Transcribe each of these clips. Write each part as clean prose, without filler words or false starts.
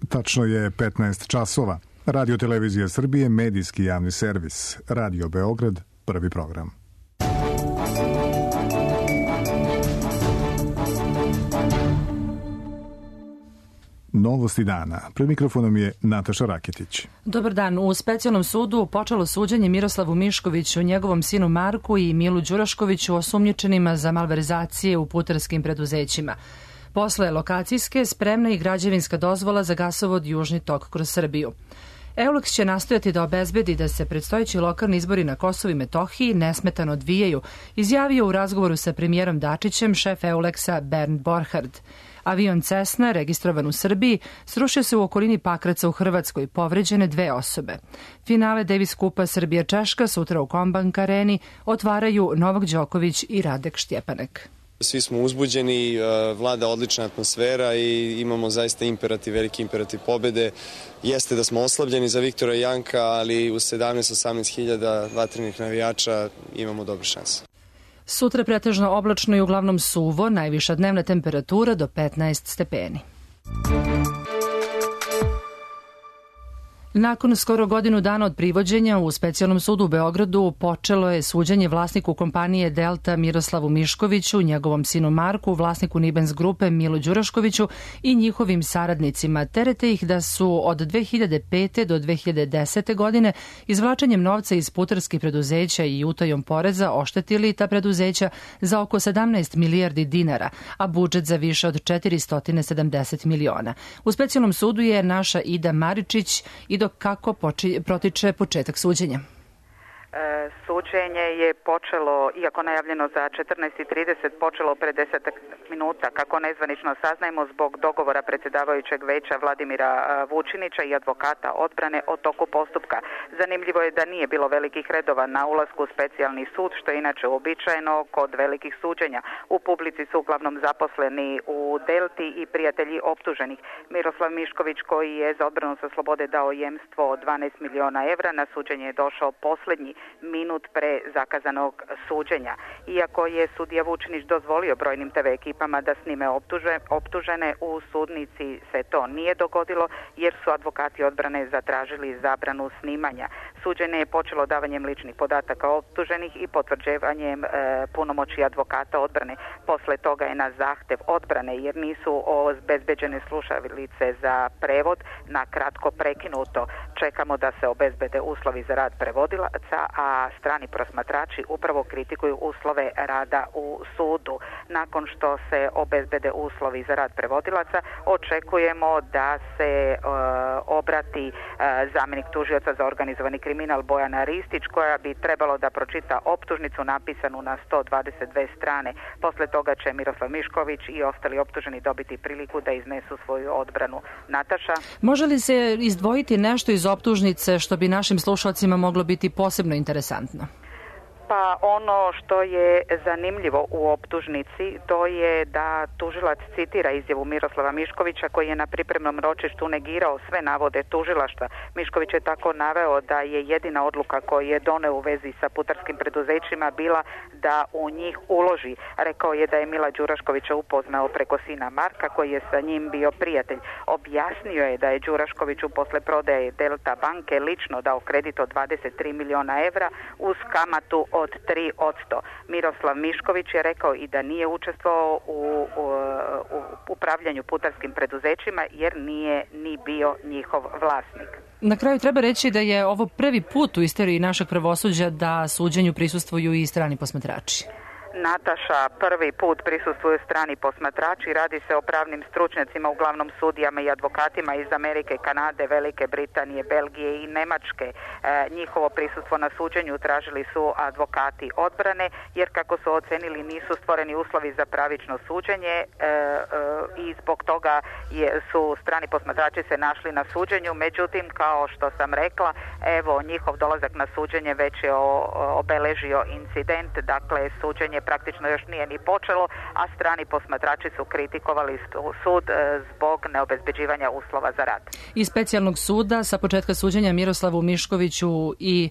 Tačno je 15 časova. Radio Televizija Srbije, medijski javni servis. Radio Beograd, prvi program. Novosti dana. Pred mikrofonom je Nataša Raketić. Dobar dan. U specijalnom sudu počelo suđenje Miroslavu Miškoviću, njegovom sinu Marku i Milu Đuraškoviću, osumnjičenima za malverzacije u putarskim preduzećima. Posle lokacijske spremna i građevinska dozvola za gasovod Južni tok kroz Srbiju. EULEX će nastojati da obezbedi da se predstojeći lokalni izbori na Kosovu i Metohiji nesmetano odvijaju, izjavio u razgovoru sa premijerom Dačićem šef EULEX-a Bernd Borchardt. Avion Cessna, registrovan u Srbiji, srušio se u okolini Pakraca u Hrvatskoj, povređene 2 osobe. Finale Davis Kupa Srbija-Češka sutra u Kombank areni otvaraju Novak Đoković i Radek Štjepanek. Svi smo uzbuđeni, vlada odlična atmosfera i imamo zaista veliki imperativ pobede. Jeste da smo oslabljeni za Viktora Janka, ali u 17-18 hiljada vatrenih navijača imamo dobre šanse. Sutra pretežno oblačno i uglavnom suvo, najviša dnevna temperatura do 15 stepeni. Nakon skoro godinu dana od privođenja u specijalnom sudu u Beogradu počelo je suđenje vlasniku kompanije Delta Miroslavu Miškoviću, njegovom sinu Marku, vlasniku Nibens grupe Milu Đuraškoviću i njihovim saradnicima. Terete ih da su od 2005. do 2010. godine izvlačenjem novca iz putarskih preduzeća i utajom poreza oštetili ta preduzeća za oko 17 milijardi dinara, a budžet za više od 470 miliona. U specijalnom sudu je naša Ida Maričić i kako protiče početak suđenja. Suđenje je počelo, iako najavljeno za 14:30, počelo pre 10 minuta, kako nezvanično saznajemo zbog dogovora predsjedavajućeg veća Vladimira Vučinića i advokata odbrane o toku postupka. Zanimljivo je da nije bilo velikih redova na ulasku u specijalni sud, što je inače uobičajeno kod velikih suđenja. U publici su uglavnom zaposleni u Delti i prijatelji optuženih. Miroslav Mišković, koji je za odbranu sa slobode dao jemstvo od 12 miliona evra, na suđenje je došao posljednji minut pre zakazanog suđenja. Iako je sudija Vučinić dozvolio brojnim TV ekipama da snime optužene, u sudnici se to nije dogodilo jer su advokati odbrane zatražili zabranu snimanja. Suđenje je počelo davanjem ličnih podataka optuženih i potvrđivanjem punomoći advokata odbrane. Posle toga je na zahtev odbrane, jer nisu obezbeđene slušalice za prevod, na kratko prekinuto. Čekamo da se obezbede uslovi za rad prevodilaca, a strani prosmatrači upravo kritikuju uslove rada u sudu. Nakon što se obezbede uslovi za rad prevodilaca, očekujemo da se obrati zamjenik tužioca za organizovani kriminal Bojana Ristić, koja bi trebalo da pročita optužnicu napisanu na 122 strane. Posle toga će Miroslav Mišković i ostali optuženi dobiti priliku da iznesu svoju odbranu. Nataša? Može li se izdvojiti nešto iz optužnice što bi našim slušalcima moglo biti posebno interesantno? Pa ono što je zanimljivo u optužnici, to je da tužilac citira izjavu Miroslava Miškovića, koji je na pripremnom ročištu negirao sve navode tužilaštva. Mišković je tako naveo da je jedina odluka koju je doneo u vezi sa putarskim preduzećima bila da u njih uloži. Rekao je da je Mila Đuraškovića upoznao preko sina Marka, koji je sa njim bio prijatelj. Objasnio je da je Đuraškoviću posle prodaje Delta banke lično dao kredit od 23 miliona evra uz kamatu od 3%. Miroslav Mišković je rekao i da nije učestvovao u upravljanju putarskim preduzećima jer nije ni bio njihov vlasnik. Na kraju treba reći da je ovo prvi put u istoriji našeg pravosuđa da suđenju prisustvuju i strani posmatrači. Nataša, prvi put prisustvuju strani posmatrači. Radi se o pravnim stručnjacima, uglavnom sudijama i advokatima iz Amerike, Kanade, Velike Britanije, Belgije i Nemačke. Njihovo prisustvo na suđenju tražili su advokati odbrane, jer kako su ocenili nisu stvoreni uslovi za pravično suđenje i zbog toga su strani posmatrači se našli na suđenju. Međutim, kao što sam rekla, evo, njihov dolazak na suđenje već je obeležio incident, dakle suđenje praktično još nije ni počelo, a strani posmatrači su kritikovali sud zbog neobezbeđivanja uslova za rad. Iz specijalnog suda sa početka suđenja Miroslavu Miškoviću i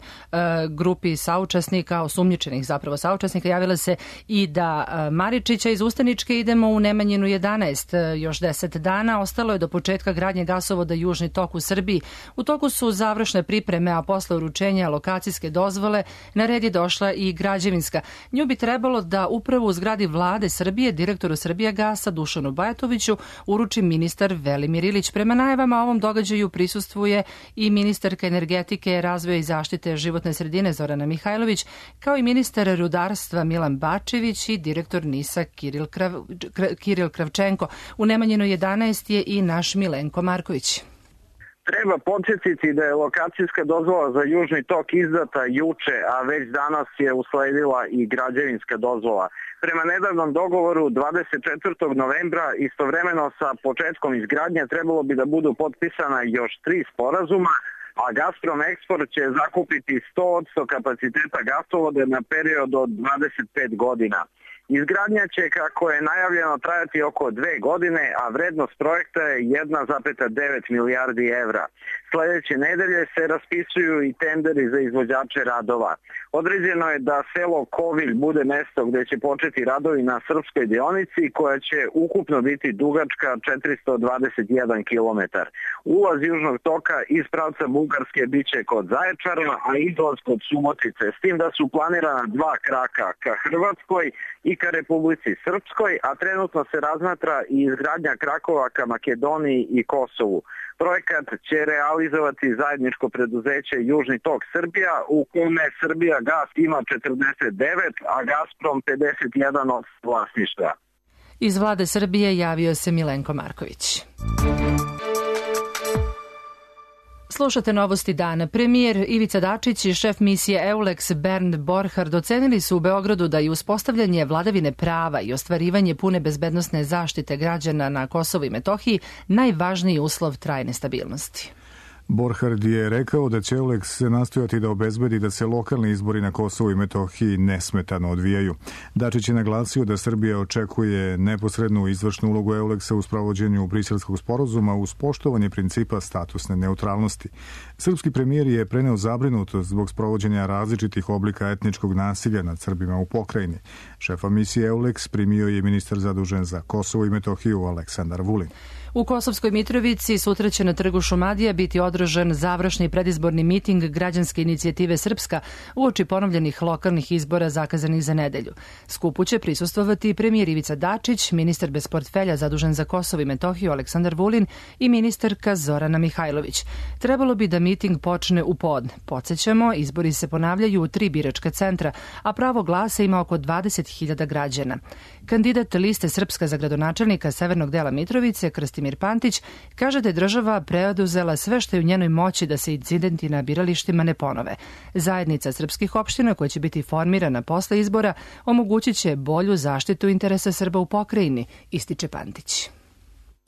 grupi saučesnika, osumnjičenih zapravo saučesnika, javila se i da Maričića. Iz Ustaničke idemo u Nemanjinu 11, još 10 dana. Ostalo je do početka gradnje gasovoda Južni tok u Srbiji. U toku su završne pripreme, a posle uručenja lokacijske dozvole na red je došla i građevinska. Nju bi trebalo da upravo u zgradi vlade Srbije direktoru Srbijagasa Dušanu Bajatoviću uruči ministar Velimir Ilić. Prema najavama ovom događaju prisustvuje i ministarka energetike, razvoja i zaštite životne sredine Zorana Mihajlović, kao i ministar rudarstva Milan Bačević i direktor NIS-a Kiril Kravčenko. U Nemanjinu 11 je i naš Milenko Marković. Treba podsjetiti da je lokacijska dozvola za Južni tok izdata juče, a već danas je usledila i građevinska dozvola. Prema nedavnom dogovoru 24. novembra istovremeno sa početkom izgradnje trebalo bi da budu potpisana još 3 sporazuma, a Gazprom Eksport će zakupiti 100% kapaciteta gasovode na period od 25 godina. Izgradnja će, kako je najavljeno, trajati oko 2 godine, a vrednost projekta je 1,9 milijardi evra. Sljedeće nedelje se raspisuju i tenderi za izvođače radova. Određeno je da selo Kovilj bude mesto gde će početi radovi na srpskoj deonici, koja će ukupno biti dugačka 421 km. Ulaz Južnog toka iz pravca Bugarske biće kod Zaječara, a izlaz kod Subotice, s tim da su planirana 2 kraka ka Hrvatskoj i ka Republici Srpskoj, a trenutno se razmatra i izgradnja krakova ka Makedoniji i Kosovu. Projekat će realizovati zajedničko preduzeće Južni tok Srbija, u kome Srbijagas ima 49, a Gazprom 51 od vlasništva. Iz vlade Srbije javio se Milenko Marković. Slušate novosti dana. Premijer Ivica Dačić i šef misije EULEX Bernd Borchardt ocenili su u Beogradu da je uspostavljanje vladavine prava i ostvarivanje pune bezbednosne zaštite građana na Kosovu i Metohiji najvažniji uslov trajne stabilnosti. Borchardt je rekao da će EULEX nastojati da obezbedi da se lokalni izbori na Kosovu i Metohiji nesmetano odvijaju. Dačić je naglasio da Srbija očekuje neposrednu izvršnu ulogu EULEX-a u sprovođenju Briselskog sporazuma uz poštovanje principa statusne neutralnosti. Srpski premijer je preneo zabrinutost zbog sprovođenja različitih oblika etničkog nasilja nad Srbima u pokrajini. Šefa misije EULEX primio je ministar zadužen za Kosovo i Metohiju Aleksandar Vulin. U Kosovskoj Mitrovici sutra će na trgu Šumadija biti održan završni predizborni miting građanske inicijative Srpska uoči ponovljenih lokalnih izbora zakazanih za nedelju. Skupu će prisustvovati premijer Ivica Dačić, ministar bez portfelja zadužen za Kosovo i Metohiju Aleksandar Vulin i ministarka Zorana Mihajlović. Trebalo bi da miting počne u podne. Podsećamo, izbori se ponavljaju u 3 biračka centra, a pravo glasa ima oko 20.000 građana. Kandidat liste Srpska za gradonačelnika severnog dela Mitrovice, Krstimir Pantić, kaže da je država preoduzela sve što je u njenoj moći da se incidenti na biralištima ne ponove. Zajednica srpskih opština koja će biti formirana posle izbora omogućit će bolju zaštitu interesa Srba u pokrajini, ističe Pantić.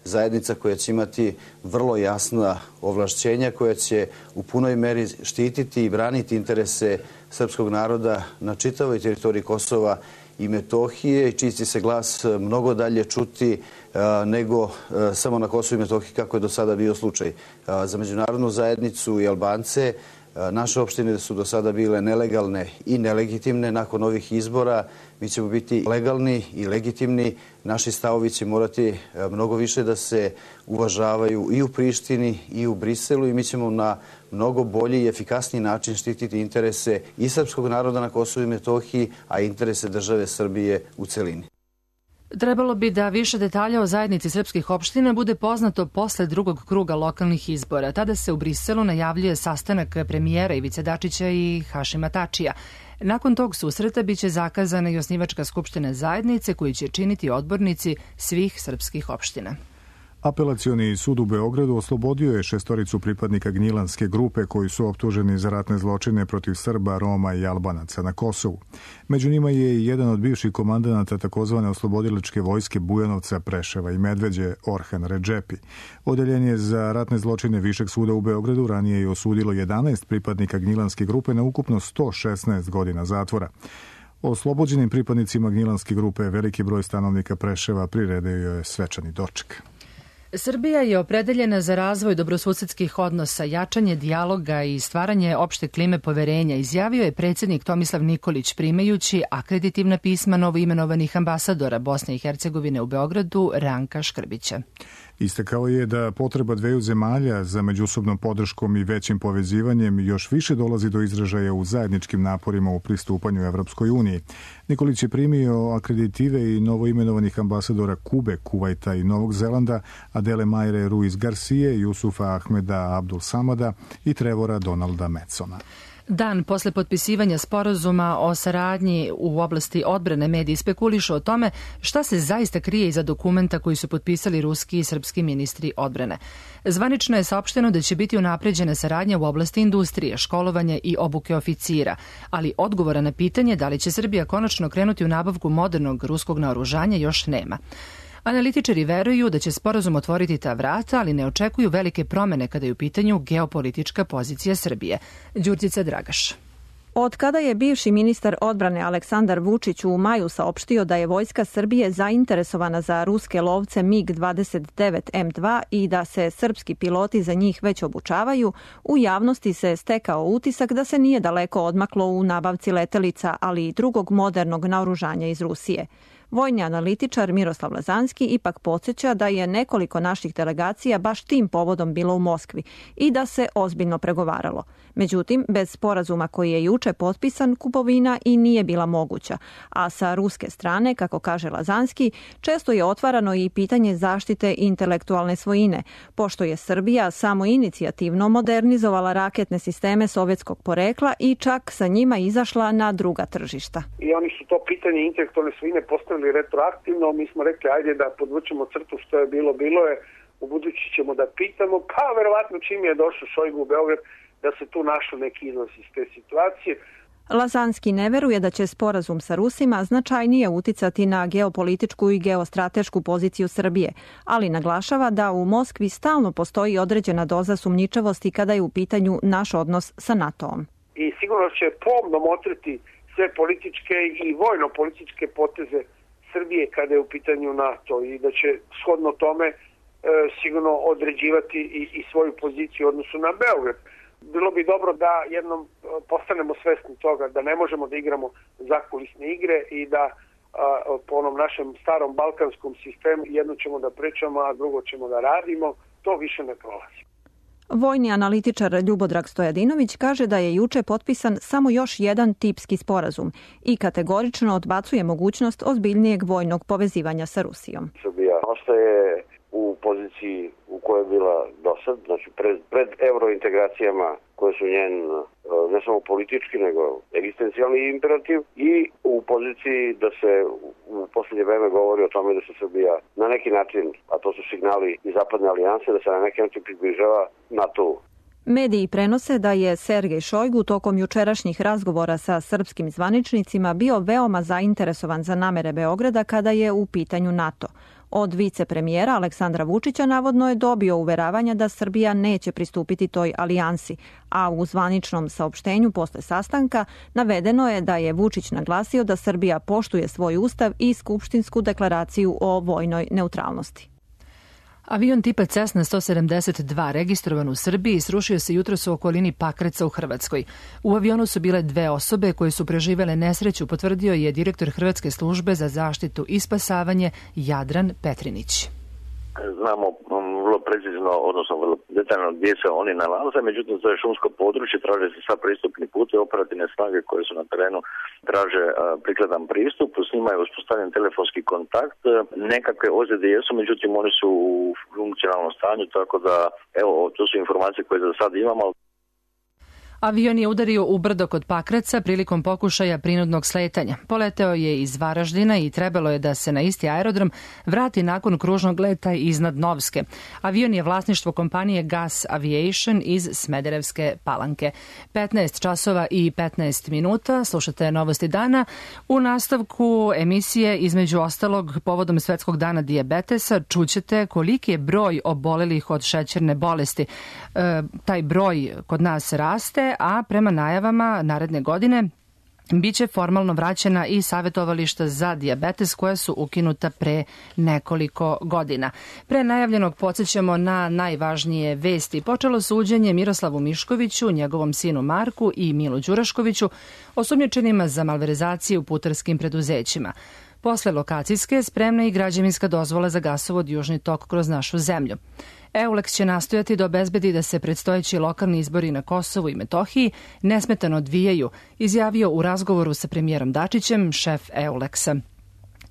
Zajednica koja će imati vrlo jasna ovlašćenja, koja će u punoj meri štititi i braniti interese srpskog naroda na čitavoj teritoriji Kosova i Metohije, i čiji će se glas mnogo dalje čuti nego samo na Kosovu i Metohiji, kako je do sada bio slučaj. Za međunarodnu zajednicu i Albance naše opštine su do sada bile nelegalne i nelegitimne. Nakon ovih izbora mi ćemo biti legalni i legitimni. Naši stavovi će morati mnogo više da se uvažavaju i u Prištini i u Briselu, i mi ćemo na mnogo bolji i efikasniji način štititi interese i srpskog naroda na Kosovu i Metohiji, a interese države Srbije u celini. Trebalo bi da više detalja o zajednici srpskih opština bude poznato posle drugog kruga lokalnih izbora. Tada se u Briselu najavljuje sastanak premijera Ivice Dačića i Hašima Tačija. Nakon tog susreta biće zakazana i osnivačka skupština zajednice koju će činiti odbornici svih srpskih opština. Apelacioni sud u Beogradu oslobodio je 6 pripadnika Gnjilanske grupe koji su optuženi za ratne zločine protiv Srba, Roma i Albanaca na Kosovu. Među njima je i jedan od bivših komandanata takozvane oslobodilačke vojske Bujanovca, Preševa i Medveđe, Orhan Redžepi. Odeljenje za ratne zločine Višeg suda u Beogradu ranije je osudilo 11 pripadnika Gnjilanske grupe na ukupno 116 godina zatvora. Oslobođenim pripadnicima Gnjilanske grupe veliki broj stanovnika Preševa priredio je svečani doček. Srbija je opredeljena za razvoj dobrosusedskih odnosa, jačanje dijaloga i stvaranje opšte klime poverenja, izjavio je predsjednik Tomislav Nikolić primajući akreditivna pisma novoimenovanih ambasadora Bosne i Hercegovine u Beogradu Ranka Škrbića. Istakao je da potreba dveju zemalja za međusobnom podrškom i većim povezivanjem još više dolazi do izražaja u zajedničkim naporima u pristupanju Evropskoj uniji. Nikolić je primio akreditive i novoimenovanih ambasadora Kube, Kuvajta i Novog Zelanda, Adele Majre Ruiz Garcije, Jusufa Ahmeda Abdul Samada i Trevora Donalda Medsona. Dan posle potpisivanja sporazuma o saradnji u oblasti odbrane mediji spekulišu o tome šta se zaista krije iza dokumenta koji su potpisali ruski i srpski ministri odbrane. Zvanično je saopšteno da će biti unapređena saradnja u oblasti industrije, školovanja i obuke oficira, ali odgovora na pitanje da li će Srbija konačno krenuti u nabavku modernog ruskog naoružanja još nema. Analitičari veruju da će sporazum otvoriti ta vrata, ali ne očekuju velike promene kada je u pitanju geopolitička pozicija Srbije. Đurđica Dragaš. Od kada je bivši ministar odbrane Aleksandar Vučić u maju saopštio da je vojska Srbije zainteresovana za ruske lovce MiG-29M2 i da se srpski piloti za njih već obučavaju, u javnosti se stekao utisak da se nije daleko odmaklo u nabavci letelica, ali i drugog modernog naoružanja iz Rusije. Vojni analitičar Miroslav Lazanski ipak podsjeća da je nekoliko naših delegacija baš tim povodom bilo u Moskvi i da se ozbiljno pregovaralo. Međutim, bez sporazuma koji je juče potpisan, kupovina i nije bila moguća, a sa ruske strane, kako kaže Lazanski, često je otvarano i pitanje zaštite intelektualne svojine, pošto je Srbija samoinicijativno modernizovala raketne sisteme sovjetskog porekla i čak sa njima izašla na druga tržišta. I oni su to pitanje intelektualne svojine postavili retroaktivno, mi smo rekli ajde da podvučemo crtu, što je bilo je, u budući ćemo da pitamo, pa verovatno čim je došao Šojgu u Beograd da se tu našao neki izlaz iz te situacije. Lazanski ne veruje da će sporazum sa Rusima značajnije uticati na geopolitičku i geostratešku poziciju Srbije, ali naglašava da u Moskvi stalno postoji određena doza sumnjičavosti kada je u pitanju naš odnos sa NATO-om. I sigurno će pomno motriti sve političke i vojno-političke poteze Srbije kada je u pitanju NATO i da će shodno tome sigurno određivati i svoju poziciju u odnosu na Beograd. Bilo bi dobro da jednom postanemo svesni toga da ne možemo da igramo zakulisne igre i da po onom našem starom balkanskom sistemu jedno ćemo da pričamo, a drugo ćemo da radimo. To više ne prolazi. Vojni analitičar Ljubodrag Stojadinović kaže da je juče potpisan samo još jedan tipski sporazum i kategorično odbacuje mogućnost ozbiljnijeg vojnog povezivanja sa Rusijom. Srbija ostaje u poziciji u kojoj je bila dosad, znači pred eurointegracijama koje su njen ne samo politički nego egzistencijalni imperativ i u poziciji da se u posljednje vreme govori o tome da se Srbija na neki način, a to su signali iz zapadne alijanse, da se na neki način približava NATO-u. Mediji prenose da je Sergej Šojgu tokom jučerašnjih razgovora sa srpskim zvaničnicima bio veoma zainteresovan za namere Beograda kada je u pitanju NATO. Od vicepremijera Aleksandra Vučića navodno je dobio uveravanja da Srbija neće pristupiti toj alijansi, a u zvaničnom saopštenju posle sastanka navedeno je da je Vučić naglasio da Srbija poštuje svoj ustav i skupštinsku deklaraciju o vojnoj neutralnosti. Avion tipa Cessna 172 registrovan u Srbiji srušio se jutros u okolini Pakraca u Hrvatskoj. U avionu su bile 2 osobe koje su preživele nesreću, potvrdio je direktor Hrvatske službe za zaštitu i spasavanje Jadran Petrinić. Znamo vrlo precizno, odnosno vrlo detaljno gdje se oni nalaze, međutim to je šumsko područje, traže se sva pristupni put i operativne snage koje su na terenu traže prikladan pristup, s njima je uspostavljen telefonski kontakt, nekakve ozljede jesu, međutim oni su u funkcionalnom stanju, tako da evo, to su informacije koje za sad imamo. Avion je udario u brdo kod Pakraca prilikom pokušaja prinudnog sletanja. Poleteo je iz Varaždina i trebalo je da se na isti aerodrom vrati nakon kružnog leta iznad Novske. Avion je vlasništvo kompanije Gas Aviation iz Smederevske Palanke. 15 časova i 15 minuta, slušate Novosti dana. U nastavku emisije, između ostalog, povodom Svetskog dana dijabetesa, čućete koliki je broj obolelih od šećerne bolesti. Taj broj kod nas raste, a prema najavama naredne godine Biće formalno vraćena i savjetovališta za dijabetes koja su ukinuta pre nekoliko godina. Pre najavljenog podsjećamo na najvažnije vesti. Počelo suđenje Miroslavu Miškoviću, njegovom sinu Marku i Milu Đuraškoviću, osumnjičenima za malverzacije u putarskim preduzećima. Posle lokacijske spremna i građevinska dozvola za gasovod Južni tok kroz našu zemlju. EULEX će nastojati da obezbedi da se predstojeći lokalni izbori na Kosovu i Metohiji nesmetano odvijaju, izjavio u razgovoru sa premijerom Dačićem šef EULEX-a.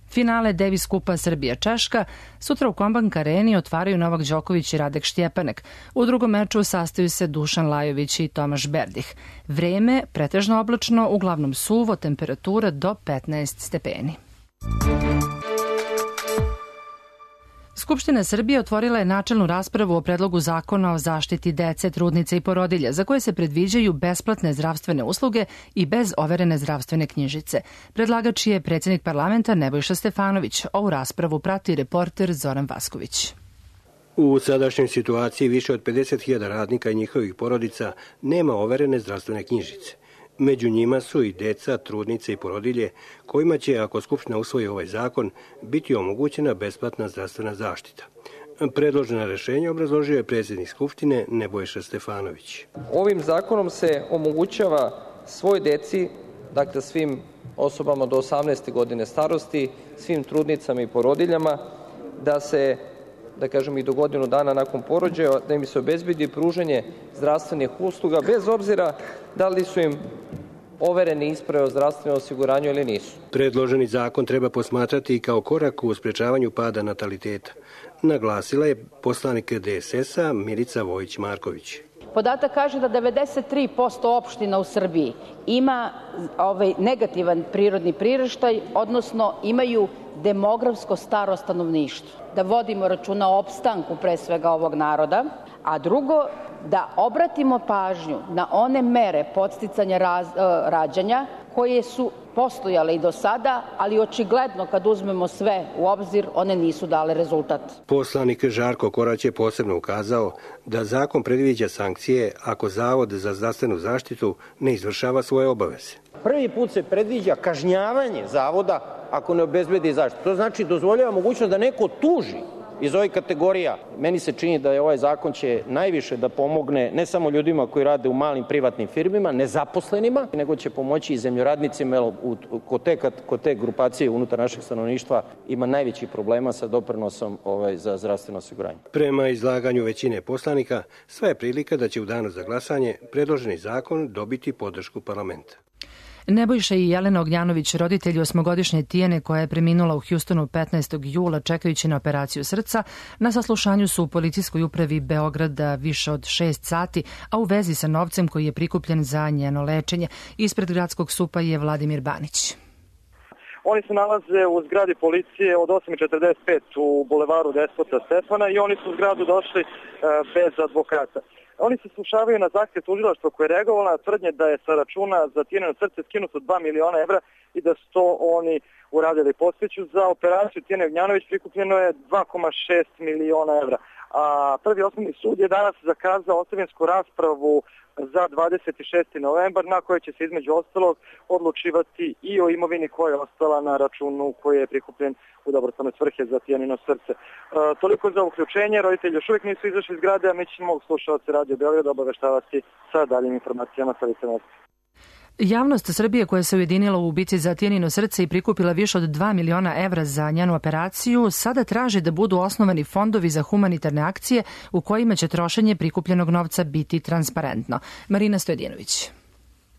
Finale Davis Kupa Srbija-Češka sutra u Kombank Areni otvaraju Novak Đoković i Radek Štjepanek. U drugom meču sastaju se Dušan Lajović i Tomaš Berdih. Vreme pretežno oblačno, uglavnom suvo, temperatura do 15 stepeni. Skupština Srbije otvorila je načelnu raspravu o predlogu zakona o zaštiti dece, trudnice i porodilja, za koje se predviđaju besplatne zdravstvene usluge i bez overene zdravstvene knjižice. Predlagač je predsjednik parlamenta Nebojša Stefanović. Ovu raspravu prati reporter Zoran Vasković. U sadašnjoj situaciji više od 50.000 radnika i njihovih porodica nema overene zdravstvene knjižice. Među njima su i deca, trudnice i porodilje, kojima će, ako Skupština usvoji ovaj zakon, biti omogućena besplatna zdravstvena zaštita. Predložena rešenja obrazložio je predsjednik Skupštine Nebojša Stefanović. Ovim zakonom se omogućava svoj deci, dakle svim osobama do 18. godine starosti, svim trudnicama i porodiljama, da se, da kažem i do godinu dana nakon porođaja, da im se obezbedi pružanje zdravstvenih usluga, bez obzira da li su im overene isprave o zdravstvenom osiguranju ili nisu. Predloženi zakon treba posmatrati i kao korak u sprečavanju pada nataliteta, naglasila je poslanik DSS-a Milica Vojić-Marković. Podatak kaže da 93% opština u Srbiji ima negativan prirodni priraštaj, odnosno imaju demografsko staro stanovništvo. Da vodimo računa o opstanku pre svega ovog naroda, a drugo, da obratimo pažnju na one mere podsticanja rađanja koje su postojale i do sada, ali očigledno kad uzmemo sve u obzir, one nisu dale rezultat. Poslanik Žarko Korać je posebno ukazao da zakon predviđa sankcije ako Zavod za zdravstvenu zaštitu ne izvršava svoje obaveze. Prvi put se predviđa kažnjavanje zavoda ako ne obezbedi zaštitu. To znači dozvoljava mogućnost da neko tuži iz ovih kategorija. Meni se čini da je ovaj zakon će najviše da pomogne ne samo ljudima koji rade u malim privatnim firmima, nezaposlenima, nego će pomoći i zemljoradnicima, kod te grupacije unutar našeg stanovništva ima najveći problema sa doprinosom za zdravstveno osiguranje. Prema izlaganju većine poslanika, sva je prilika da će u danu za glasanje predloženi zakon dobiti podršku parlamenta. Nebojša i Jelena Ognjanović, roditelji 8-godišnje Tijene koja je preminula u Hjustonu 15. jula čekajući na operaciju srca, na saslušanju su u policijskoj upravi Beograda više od 6 sati, a u vezi sa novcem koji je prikupljen za njeno lečenje. Ispred gradskog SUP-a je Vladimir Banić. Oni se nalaze u zgradi policije od 8:45 u bulevaru Despota Stefana i oni su u zgradu došli bez advokata. Oni se slušavaju na zahtjev tužilaštva koje je reagovalo na tvrdnje da je sa računa za Tijenino srce skinuto 2 miliona evra i da su to oni uradili. Podsjeću, za operaciju Tijene Ognjanović prikupljeno je 2,6 miliona evra. A Prvi osnovni sud je danas zakazao ostavinsku raspravu za 26. novembar na kojoj će se između ostalog odlučivati i o imovini koja je ostala na računu koji je prikupljen u dobrotvorne svrhe za Tijanino srce. Toliko za uključenje, roditelji još uvijek nisu izašli iz zgrade, a mi ćemo slušalci Radio Beograda obaveštavati sa daljim informacijama sa lice mesta. Javnost Srbije koja se ujedinila u bici za Tijanino srce i prikupila više od 2 miliona evra za njenu operaciju, sada traži da budu osnovani fondovi za humanitarne akcije u kojima će trošenje prikupljenog novca biti transparentno. Marina Stojedinović.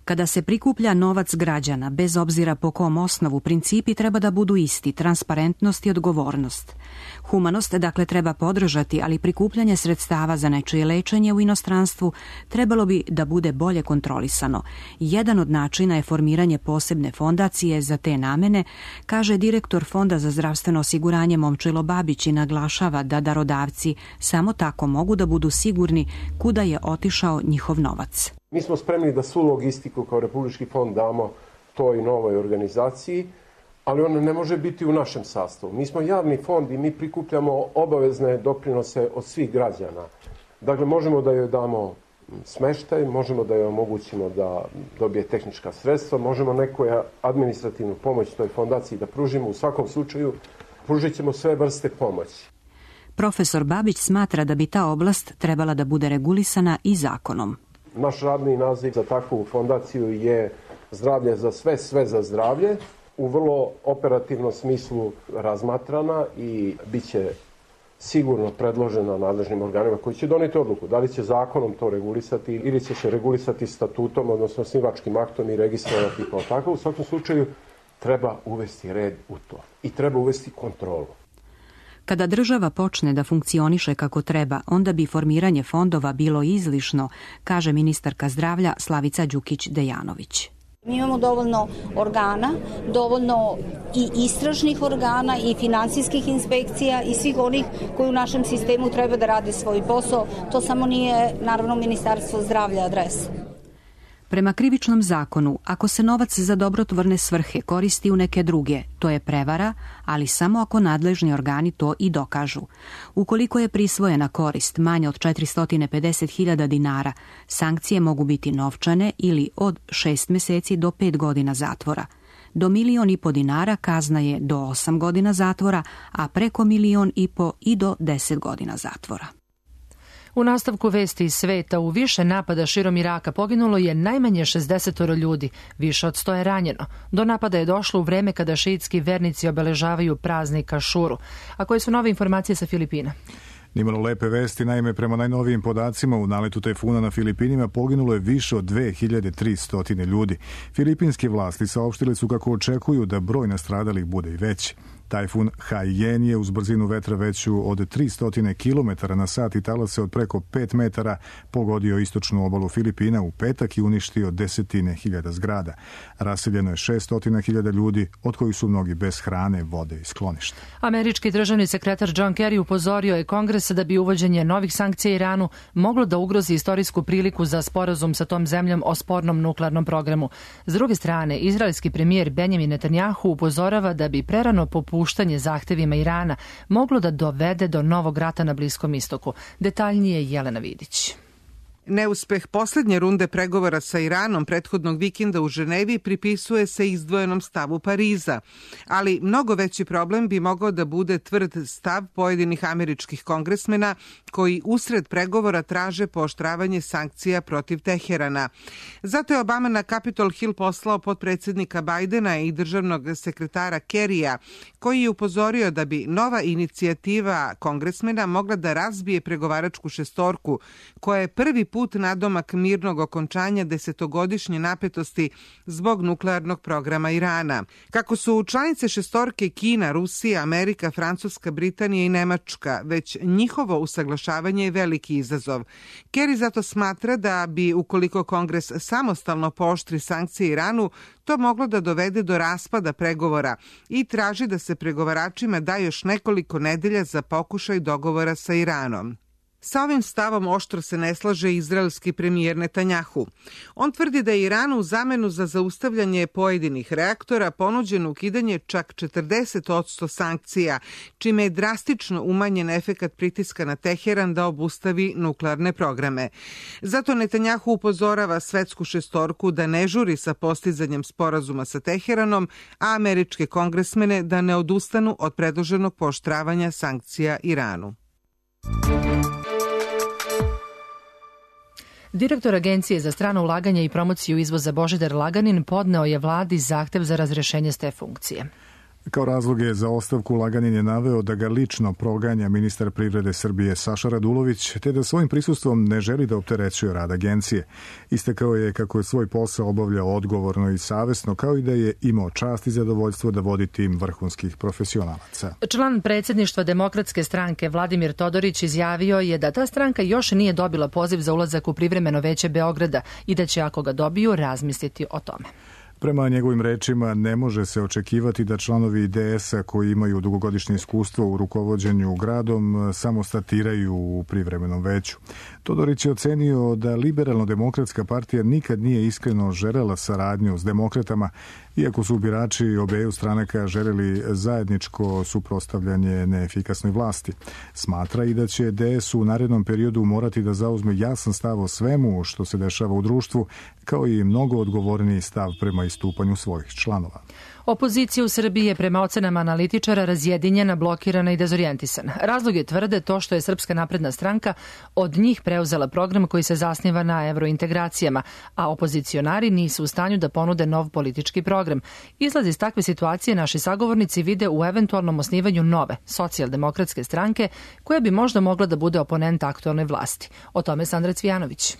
Kada se prikuplja novac građana, bez obzira po kom osnovu, principi treba da budu isti, transparentnost i odgovornost. Humanost, dakle, treba podržati, ali prikupljanje sredstava za nečije lečenje u inostranstvu trebalo bi da bude bolje kontrolisano. Jedan od načina je formiranje posebne fondacije za te namene, kaže direktor Fonda za zdravstveno osiguranje Momčilo Babić i naglašava da darodavci samo tako mogu da budu sigurni kuda je otišao njihov novac. Mi smo spremni da svu logistiku kao Republički fond damo toj novoj organizaciji, ali ona ne može biti u našem sastavu. Mi smo javni fond i mi prikupljamo obavezne doprinose od svih građana. Dakle, možemo da joj damo smeštaj, možemo da joj omogućimo da dobije tehnička sredstva, možemo neku administrativnu pomoć toj fondaciji da pružimo. U svakom slučaju pružit ćemo sve vrste pomoći. Profesor Babić smatra da bi ta oblast trebala da bude regulisana i zakonom. Naš radni naziv za takvu fondaciju je zdravlje za sve, sve za zdravlje. U vrlo operativnom smislu razmatrana i bit će sigurno predložena nadležnim organima koji će doneti odluku da li će zakonom to regulisati ili će se regulisati statutom, odnosno osnivačkim aktom i registrovati kao tako. U svakom slučaju treba uvesti red u to i treba uvesti kontrolu. Kada država počne da funkcioniše kako treba, onda bi formiranje fondova bilo izlišno, kaže ministarka zdravlja Slavica Đukić-Dejanović. Mi imamo dovoljno organa, dovoljno i istražnih organa i finansijskih inspekcija i svih onih koji u našem sistemu treba da rade svoj posao. To samo nije, naravno, Ministarstvo zdravlja adresa. Prema krivičnom zakonu, ako se novac za dobrotvorne svrhe koristi u neke druge, to je prevara, ali samo ako nadležni organi to i dokažu. Ukoliko je prisvojena korist manja od 450.000 dinara, sankcije mogu biti novčane ili od 6 meseci do 5 godina zatvora. Do 1,5 miliona dinara kazna je do 8 godina zatvora, a preko 1,5 miliona i do 10 godina zatvora. U nastavku vesti iz sveta, u više napada širom Iraka poginulo je najmanje 60 ljudi, više od 100 je ranjeno. Do napada je došlo u vreme kada šiitski vernici obeležavaju praznik Ašuru. A koje su nove informacije sa Filipina? Nimalo lepe vesti, naime prema najnovijim podacima u naletu tajfuna na Filipinima poginulo je više od 2300 ljudi. Filipinske vlasti saopštili su kako očekuju da broj nastradalih bude i veći. Tajfun Haiyan je uz brzinu vetra veću od 300 km na sat i talase od preko 5 metara pogodio istočnu obalu Filipina u petak i uništio 10.000 zgrada. Raseljeno je 600.000 ljudi, od kojih su mnogi bez hrane, vode i skloništa. Američki državni sekretar John Kerry upozorio je Kongres da bi uvođenje novih sankcija Iranu moglo da ugrozi istorijsku priliku za sporazum sa tom zemljom o spornom nuklearnom programu. S druge strane, izraelski premijer Benjamin Netanjahu upozorava da bi prerano popuštanje zahtevima Irana moglo da dovede do novog rata na Bliskom istoku. Detaljnije Jelena Vidić. Neuspeh poslednje runde pregovora sa Iranom prethodnog vikenda u Ženevi pripisuje se izdvojenom stavu Pariza, ali mnogo veći problem bi mogao da bude tvrd stav pojedinih američkih kongresmena koji usred pregovora traže pooštravanje sankcija protiv Teherana. Zato je Obama na Capitol Hill poslao potpredsednika Bajdena i državnog sekretara Kerrya, koji je upozorio da bi nova inicijativa kongresmena mogla da razbije pregovaračku šestorku, koja je prvi put nadomak mirnog okončanja 10-godišnje napetosti zbog nuklearnog programa Irana. Kako su članice šestorke Kina, Rusija, Amerika, Francuska, Britanija i Nemačka, već njihovo usaglašavanje je veliki izazov. Kerry zato smatra da bi, ukoliko Kongres samostalno pooštri sankcije Iranu, to moglo da dovede do raspada pregovora i traži da se pregovaračima da još nekoliko nedelja za pokušaj dogovora sa Iranom. Sa ovim stavom oštro se ne slaže izraelski premijer Netanjahu. On tvrdi da je Iranu u zamenu za zaustavljanje pojedinih reaktora ponuđeno ukidanje čak 40% sankcija, čime je drastično umanjen efekat pritiska na Teheran da obustavi nuklearne programe. Zato Netanjahu upozorava svetsku šestorku da ne žuri sa postizanjem sporazuma sa Teheranom, a američke kongresmene da ne odustanu od predloženog pooštravanja sankcija Iranu. Direktor Agencije za strano ulaganje i promociju izvoza Božidar Laganin podneo je vladi zahtev za razrešenje s te funkcije. Kao razloge za ostavku Laganin je naveo da ga lično proganja ministar privrede Srbije Saša Radulović, te da svojim prisustvom ne želi da opterećuje rad agencije. Istakao je kako je svoj posao obavljao odgovorno i savesno, kao i da je imao čast i zadovoljstvo da vodi tim vrhunskih profesionalaca. Član predsjedništva Demokratske stranke Vladimir Todorić izjavio je da ta stranka još nije dobila poziv za ulazak u privremeno veće Beograda i da će, ako ga dobiju, razmisliti o tome. Prema njegovim rečima, ne može se očekivati da članovi IDS-a koji imaju dugogodišnje iskustvo u rukovođenju gradom samo statiraju u privremenom veću. Todorić je ocenio da Liberalno-demokratska partija nikad nije iskreno želela saradnju s demokratama, iako su birači obeju stranaka želeli zajedničko suprotstavljanje neefikasnoj vlasti. Smatra i da će DS u narednom periodu morati da zauzme jasan stav o svemu što se dešava u društvu, kao i mnogo odgovorniji stav prema istupanju svojih članova. Opozicija u Srbiji je prema ocenama analitičara razjedinjena, blokirana i dezorijentisana. Razlog je tvrde to što je Srpska napredna stranka od njih preuzela program koji se zasniva na evrointegracijama, a opozicionari nisu u stanju da ponude nov politički program. Izlaz iz takve situacije naši sagovornici vide u eventualnom osnivanju nove, socijaldemokratske stranke, koja bi možda mogla da bude oponent aktualnoj vlasti. O tome Sandra Cvijanović.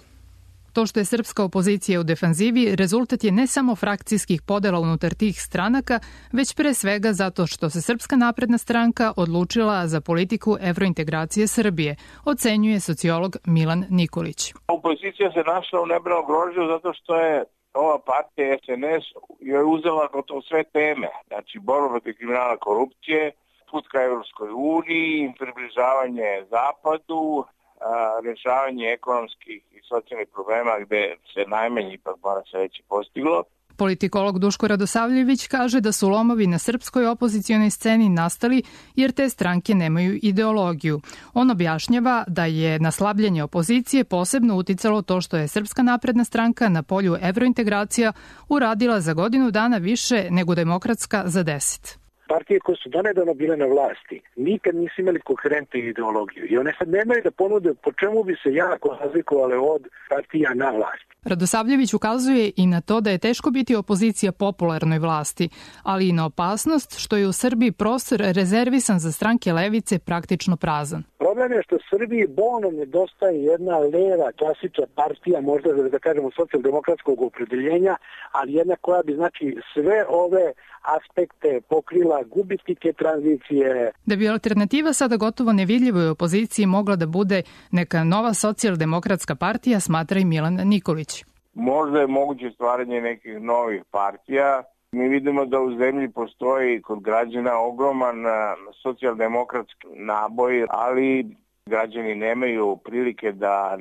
To što je srpska opozicija u defanzivi rezultat je ne samo frakcijskih podela unutar tih stranaka, već pre svega zato što se Srpska napredna stranka odlučila za politiku evrointegracije Srbije, ocenjuje sociolog Milan Nikolić. Opozicija se našla u nebranom grožđu zato što je ova partija SNS joj uzela gotovo sve teme, znači borba protiv kriminala, korupcije, put ka Evropskoj uniji, približavanje Zapadu, rješavanje ekonomskih i socijalnih problema gde se najmanje ipak mora se reći postiglo. Politikolog Duško Radosavljević kaže da su lomovi na srpskoj opozicionoj sceni nastali jer te stranke nemaju ideologiju. On objašnjava da je na slabljenje opozicije posebno uticalo to što je Srpska napredna stranka na polju evrointegracija uradila za godinu dana više nego Demokratska za 10. Partije koje su donedavno bile na vlasti nikad nisu imali koherentnu ideologiju i one sad nemaju da ponude po čemu bi se jako razlikovale od partija na vlasti. Radosavljević ukazuje i na to da je teško biti opozicija popularnoj vlasti, ali i na opasnost što je u Srbiji prostor rezervisan za stranke levice praktično prazan. Problem je što Srbiji bolno nedostaje jedna leva, klasična partija, možda da kažemo socijaldemokratskog opredeljenja, ali jedna koja bi znači sve ove aspekte pokrila, gubitnike tranzicije. Da bi alternativa sada gotovo nevidljivoj opoziciji mogla da bude neka nova socijaldemokratska partija, smatra i Milan Nikolić. Možda je moguće stvaranje nekih novih partija. Mi vidimo da u zemlji postoji kod građana ogroman socijaldemokratski naboj, ali građani nemaju prilike da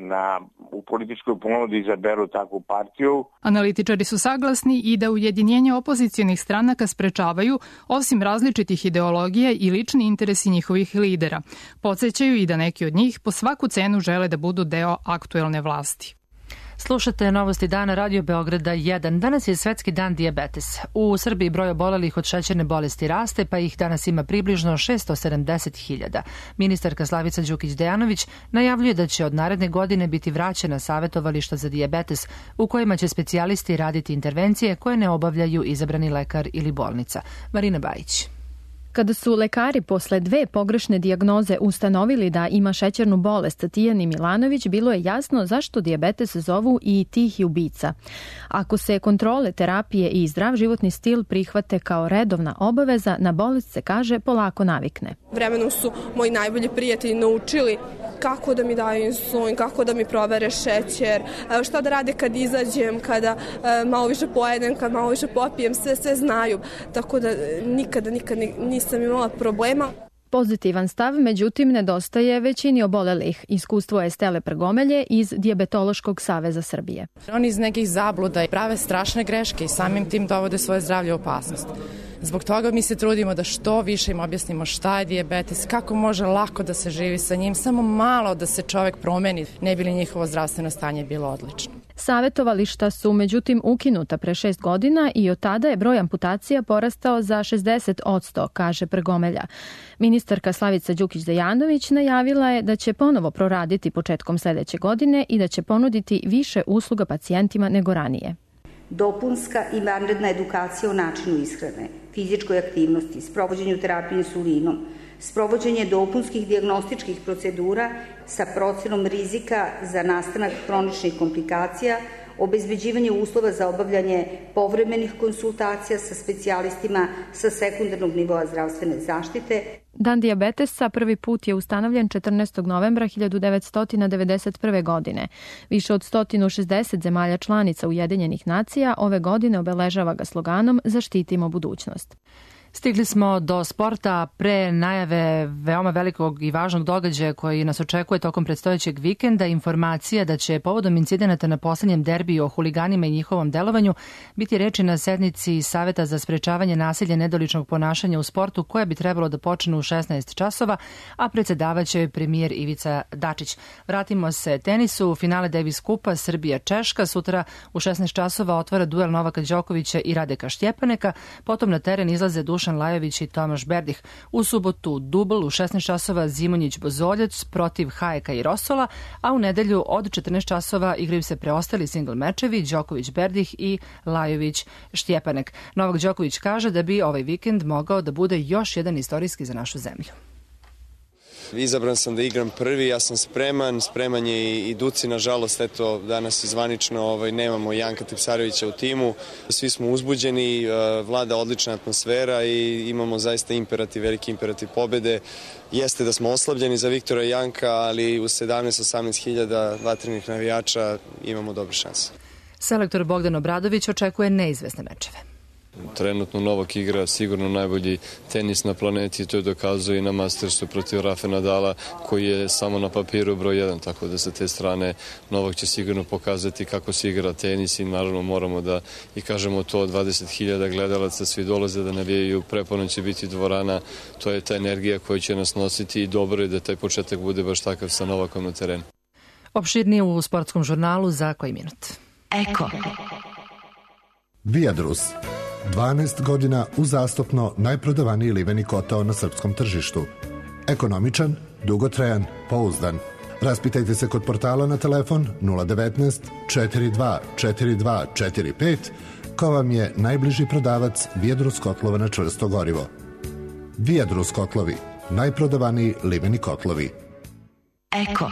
u političkoj ponudi izaberu takvu partiju. Analitičari su saglasni i da ujedinjenje opozicionih stranaka sprečavaju, osim različitih ideologija i lični interesi njihovih lidera. Podsećaju i da neki od njih po svaku cenu žele da budu deo aktuelne vlasti. Slušate Novosti dana Radio Beograda 1. Danas je Svetski dan dijabetes. U Srbiji broj obolelih od šećerne bolesti raste, pa ih danas ima približno 670.000. Ministarka Slavica Đukić-Dejanović najavljuje da će od naredne godine biti vraćena savetovališta za dijabetes, u kojima će specijalisti raditi intervencije koje ne obavljaju izabrani lekar ili bolnica. Marina Bajić. Kada su lekari posle 2 pogrešne dijagnoze ustanovili da ima šećernu bolest Tijani Milanović, bilo je jasno zašto dijabetes zovu i tihi ubica. Ako se kontrole, terapije i zdrav životni stil prihvate kao redovna obaveza, na bolest se, kaže, polako navikne. Vremenom su moji najbolji prijatelji naučili kako da mi daju insulin, kako da mi provere šećer, šta da rade kad izađem, kada malo više pojedem, kad malo više popijem, sve znaju. Tako da nikada nisam imala problema. Pozitivan stav, međutim, nedostaje većini obolelih. Iskustvo je Stele Prgomelje iz Dijabetološkog saveza Srbije. Oni iz nekih zabluda prave strašne greške i samim tim dovode svoje zdravlje u opasnost. Zbog toga mi se trudimo da što više im objasnimo šta je dijabetes, kako može lako da se živi sa njim, samo malo da se čovek promeni, ne bi li njihovo zdravstveno stanje bilo odlično. Savetovališta su međutim ukinuta pre 6 godina i od tada je broj amputacija porastao za 60%, kaže Prgomelja. Ministarka Slavica Đukić-Dejanović najavila je da će ponovo proraditi početkom sledeće godine i da će ponuditi više usluga pacijentima nego ranije. Dopunska i vanredna edukacija o načinu ishrane, fizičkoj aktivnosti, sprovođenju terapije insulinom, sprovođenje dopunskih dijagnostičkih procedura sa procenom rizika za nastanak hroničnih komplikacija, obezbeđivanje uslova za obavljanje povremenih konsultacija sa specijalistima sa sekundarnog nivoa zdravstvene zaštite. Dan dijabetesa prvi put je ustanovljen 14. novembra 1991. godine. Više od 160 zemalja članica Ujedinjenih nacija ove godine obeležava ga sloganom Zaštitimo budućnost. Stigli smo do sporta pre najave veoma velikog i važnog događaja koji nas očekuje tokom predstojećeg vikenda. Informacija da će povodom incidenata na poslednjem derbiju o huliganima i njihovom delovanju biti reči na sednici Saveta za sprečavanje nasilja i nedoličnog ponašanja u sportu koja bi trebalo da počne u 16 časova, a predsedavaće je premijer Ivica Dačić. Vratimo se tenisu. Finale Davis Kupa Srbija-Češka. Sutra u 16 časova otvara duel Novaka Đokovića i Radeka Štjepaneka. Potom na teren izlaze Dušan Lajović i Tomaš Berdih. U subotu dubl u 16 časova Zimonjić-Bozoljac protiv Hajeka i Rosola, a u nedelju od 14 časova igraju se preostali singl mečevi Đoković-Berdih i Lajović-Štjepanek. Novak Đoković kaže da bi ovaj vikend mogao da bude još jedan istorijski za našu zemlju. Izabran sam da igram prvi, ja sam spreman je i Duci, nažalost, eto, danas zvanično nemamo Janka Tipsarevića u timu, svi smo uzbuđeni, vlada odlična atmosfera i imamo zaista veliki imperativ pobede. Jeste da smo oslabljeni za Viktora i Janka, ali u 17-18 hiljada vatrenih navijača imamo dobre šanse. Selektor Bogdan Obradović očekuje neizvesne mečeve. Trenutno Novak igra sigurno najbolji tenis na planeti, to je dokazuje i na Mastersu protiv Rafe Nadala koji je samo na papiru broj 1, tako da sa te strane Novak će sigurno pokazati kako se igra tenis i naravno moramo da i kažemo to, 20.000 gledalaca, svi dolaze da navijaju, preponom će biti dvorana, to je ta energija koja će nas nositi i dobro je da taj početak bude baš takav sa Novakom na terenu. Opširnije u sportskom žurnalu za koji minut. Eko. Viadrus. 12 godina uzastopno najprodavaniji liveni kotao na srpskom tržištu. Ekonomičan, dugotrajan, pouzdan. Raspitajte se kod portala na telefon 019 42 42 45 ko vam je najbliži prodavac Viadrus kotlova na čvrsto gorivo. Viadrus kotlovi, najprodavaniji liveni kotlovi. Eko.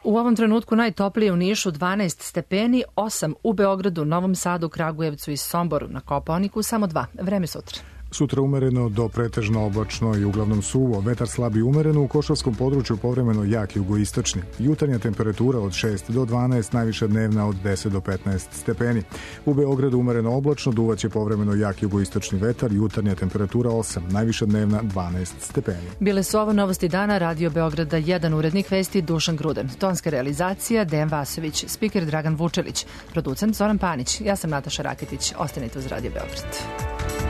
U ovom trenutku najtoplije u Nišu 12 stepeni, 8 u Beogradu, Novom Sadu, Kragujevcu i Somboru, na Kopaoniku samo 2. Vreme sutra. Sutra umereno do pretežno oblačno i uglavnom suvo. Vetar slabi umereno, u Košavskom području povremeno jak jugoistočni. Jutarnja temperatura od 6 do 12, najviša dnevna od 10 do 15 stepeni. U Beogradu umereno oblačno, duvaće povremeno jak jugoistočni vetar, jutarnja temperatura 8, najviša dnevna 12 stepeni. Bile su ovo novosti dana, Radio Beograda 1, urednik vesti Dušan Gruden, tonska realizacija Dejan Vasović, spiker Dragan Vučelić, producent Zoran Panić, ja sam Nataša Raketić, ostanite uz Radio Beograd.